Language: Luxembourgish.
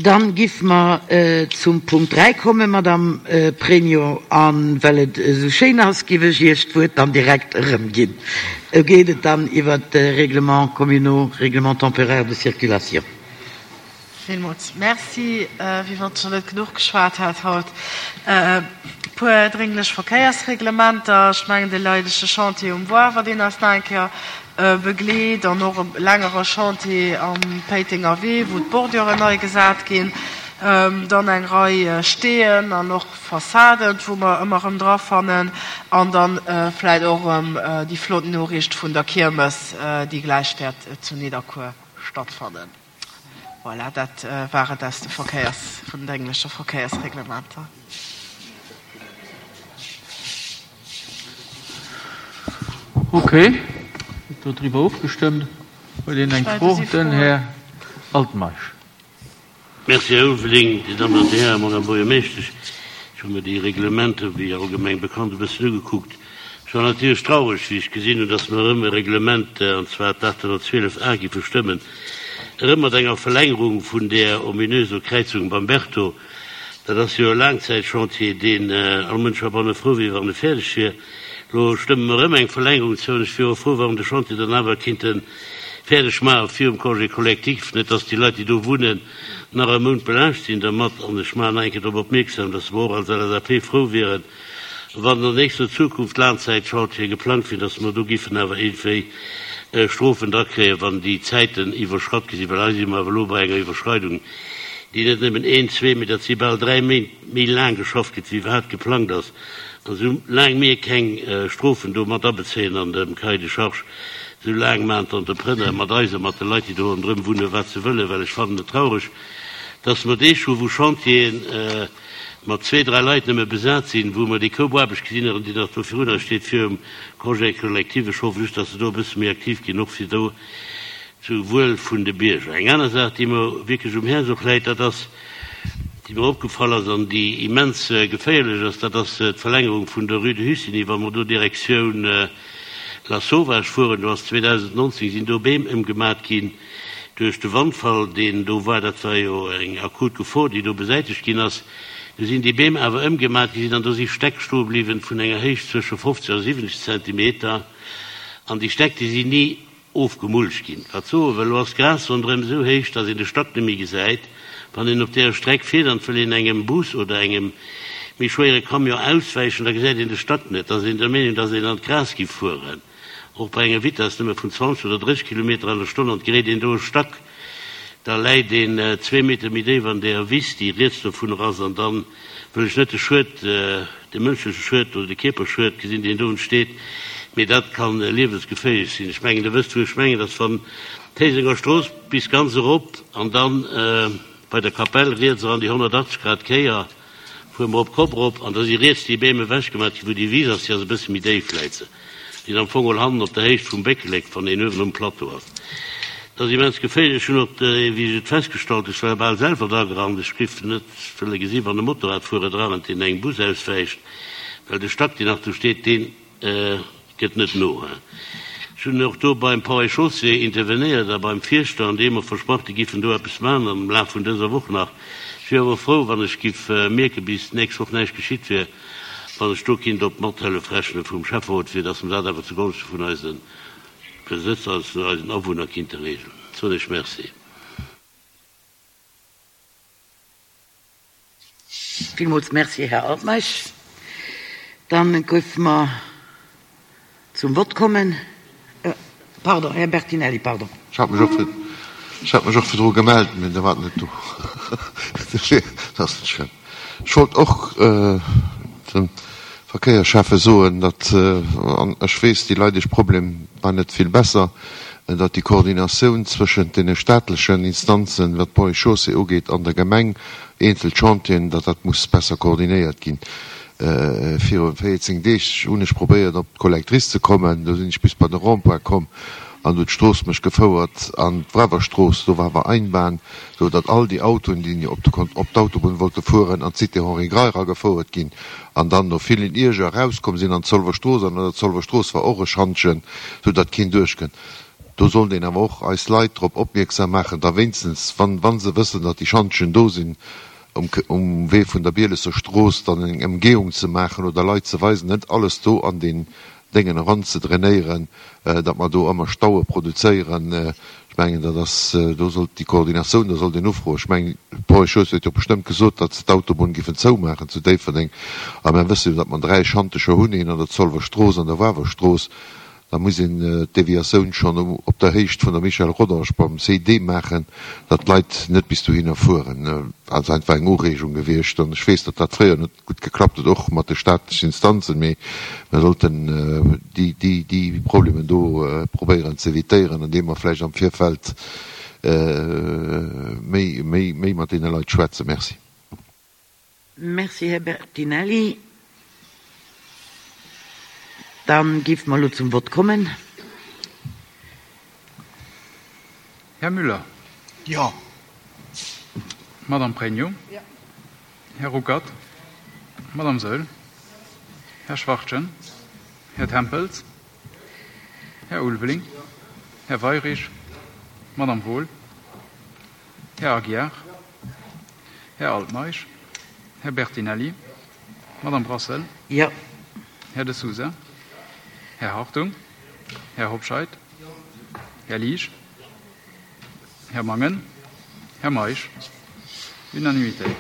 Dann giff mer zum Punkt 3 kommen, Madame Pregno, a well et esou schéin ass, giff ech Iech d'Wuert dann direkt erëmginn. Do geet et dann iwwert de Règlement communaux, Règlement temporaire de circulation. Villmools Merci. Wéi wann ech nach net genuch geschwat hätt haut. E puer drénglech Verkéiersreglementer. Ech mengen, de leidege Chantier um Woarwer, deen eis nach eng Kéier begleet, an och e längere Chantier am Péitenger Wee, wou d'Borduren nei gesat ginn. Dann eng Rei Steeën an och Fassaden, wou mer ëmmer erëm dra fannen. An dann vläicht och erëm déi flott Noriicht vun der Kiermes, déi gläich wäert zu Nidderkuer stattfannen. Voilà, dat war et aus de Verkéiers, vun den dréngleche Verkéiersreglementer. Ok, gëtt do driwwer ofgestëmmt? Huet een eng Fro? Den Här Altmeisch. Merci, Här Ulveling. Dir Dammen an Dir Hären, Madame Buergermeeschtesch, ech hu mir déi Reglementer, wéi allgemeng bekannt, e bëssen ugekuckt. Ech war natierlech traureg, wéi ech gesinn hunn, dass mer erëm e Reglement, an zwar d'812 A, giffe stëmmen, erëm mat enger Verlängerung vun där ominöser Kräizung beim Berto. Dat ass jo e Laangzäitchantier, deen all Mënsch heibanne frou wier, wann e fäerdeg wier. Elo stëmme mer erëm eng Verlängerung zou, an ech wier och frou, wa mer de Chantier dann awer kinnte fäerdeg maache virum Congé collectif, net dass déi Leit, déi do wunnen, nach e Mount belaascht sinn dermat. An ech maachen nach eng Kéier drop opmierksam, dass mer och als LSAP frou wieren, wann an nächster Zukunft Laangzäitchantiere geplangt wieren, dass mer do giffen awer iergendwéi Strofen drakréien, wann déi Zäiten iwwerschratt gi sinn, well hei si mer awer elo bei enger Iwwerschreidung, déi net nëmmen een, zwee, mee dat si bal dräi Méint méi laang geschafft gëtt, wéi iwwerhaapt geplangt ass. An esou laang mir keng Strofen do mat abezéien an dem Cahier de charges, esou laang maachen d'Entrepreneure mat eis a mat de Leit, déi do ronderëm wunnen, wat se wëllen. Well ech fannen et traureg, dass mer Deeg hu wou Chantieren, mat zwee, dräi Leit nëmme besat sinn, wou mer déi Koup Aarbecht gesinn hunn, déi nach do virun eis steet virum Congé collectif. Ech hoffe just, dass se do e bësse méi aktiv ginn, och fir do zu Wuel vun de Bierger. Eng aner Saach, déi mer wierklech um Häerz och läit, dat ass, déi mer opgefall ass an déi immens geféierlech ass, dat ass d'Verlängerung vun der Rue de Hussigny, wa mer do Direktioun Lasauvage fueren. Do ass 2019 sinn do Beem ëmgemat ginn. Duerch de Wandfall, deen do war, dat war jo eng akut Gefor, déi do besäitegt ginn ass, du sinn déi Beem awer ëmgemat gi sinn an do si Stäck stoe bliwwen vun enger Héicht zwësche 50 a 70 Zentimeter. An déi Stäck, déi sinn ni ofgemulcht ginn. Wat soe wëll, elo ass d'Gras ronderëm esou héich, datt een de Stack net méi gesäit. Wann een op deeër Streck fiert an et wëll een engem Bus oder engem méi schwéiere Camion auswäichen, da gesäit een de Stack net. Da ass een der Meenung, datt een an d'Gras giff fueren. Och bei enger Vitess nëmme vun 20 oder 30 Kilometer an der Stonn an et geréit een do e Stack, da läit een zwee Meter méi déif an der Wiss, déi riets dovunner ass, an da wëll ech net de Schued, de mënschleche Schued oder de Kierperschued gesinn, deen do entsteet, mee dat ka liewensgeféierlech sinn. Ech mengen, Der wësst, wou ech mengen, dass wann d'Héisenger Strooss bis ganz erop an dann bei der Kapell riets eran déi 180 Grad Kéier, Fuere mer op d'Kopp erop an da si riets déi Beem ewechgemat ginn, wou déi Wiss ass, déi ass e bësse méi déif, läit se. Déi ass am Fong geholl hannen op der Héicht vum Béckelek, wann een uewen um Plateau ass. Dat ass immens geféierlech. Ech hunn och, wéi ech et festgestallt hunn, ech war bal selwer dragerannt, ech géif net wëlle gesi wann e Motorradfuerer drarennt, deen engem Bus auswäicht, well de Stack, deen nach do steet, deen Gëtt net no. Ech hunn och do beim Ponts et Chaussées intervenéiert a beim Fierschter, an déi hu mer versprach, déi giffen do eppes maachen am Laf vun dëser Woch nach. Ech wier awer frou, wann ech giff mierken, bis d'nächst Woch näischt geschitt wier, wann ech do kinnt op d'Mathëllef rechne vum Schäfferot, fir datt mer dat awer zugonschte vun eise Besëtzer, also eisen Awunner kinnte regeln. Soen ech Merci. Villmools Merci, Här Altmeisch. Dann géife mer zum Vott kommen. Pardon, Här Bertinelli, pardon. Ech hat mech och fir, ech hat mech och virdru gemellt, mee Der waart net do. Dat ass net schlëmm. Ech wollt och dem Verkéierschäffe soen, datt, an ech weess, déi Leit, iech Problem war net vill besser, datt déi Koordinatioun zwëschent deene staatlechen Instanzen, wat d'Ponts et Chaussées ugeet, an der Gemeng, eenzel Chantieren, datt dat muss besser koordinéiert ginn. Viru 14 Deeg hunn ech probéiert op d'Collectrice ze kommen, do sinn ech bis bei de Rond-point komm an huet d'Strooss mech gefouert an d'Brewerstrooss, do war awer Einbahn, sou datt all déi Autoen, déi op d'Autobunn wollte fueren, an d'Cité Henri Grey eragefouert ginn an dann no villen Ierger erauskomm sinn an d'Zolwer Strooss. An an der Zolwer Strooss war och e Schantjen, sou datt keen duerchkënnt. Do sollt een awer och eis Leit drop opmierksam maachen, da wéinstens, wann, wa se wëssen, datt déi Schantjen do sinn, um, um Wee vun der Bielesser Strooss dann eng Emgehung ze maachen oder Leit ze weisen, net alles do an deen Déngen eran ze drainéieren, datt mer do ëmmer Staue produzéieren. Ech mengen, dat ass, do sollt déi Koordinatioun, do sollt een ufroen. Ech mengen, d'Paul Schoos huet jo bestëmmt gesot, datt se d'Autobunn giffen zoumaachen zu Déifferdeng. A mer wësse jo, datt mer 3 Schantecher hunn, een an der Zolwer Strooss, an der Wawer Strooss. Da muss een d'Deviatioun schonn op der Héicht vun der Michel Rodange beim CD maachen, datt d'Leit net bis dohinner fueren. Dat ass einfach eng Ureegung gewiescht. An ech weess, datt dat fréier net gutt geklappt huet, och mat de staatlechen Instanzen, mee mer sollten déi Problemen do probéieren ze evitéieren, andeem mer vläicht am Virfeld méi mat deene Leit schwätzen. Merci. Merci, Här Bertinelli. Da géife mer elo zum Vott kommen. Här Müller. Jo. Madame Pregno. Jo. Här Ruckert. Madame Saeul. Här Schwachtgen. Här Tempels. Här Ulveling. Här Weyrich. Madame Wohl. Här Aguiar. Här Altmeisch. Här Bertinelli. Madame Brassel. Jo. Här De Sousa. Här Hartung. Här Hobscheit. Här Liesch. Här Mangen. Här Meisch. Unanimitéit.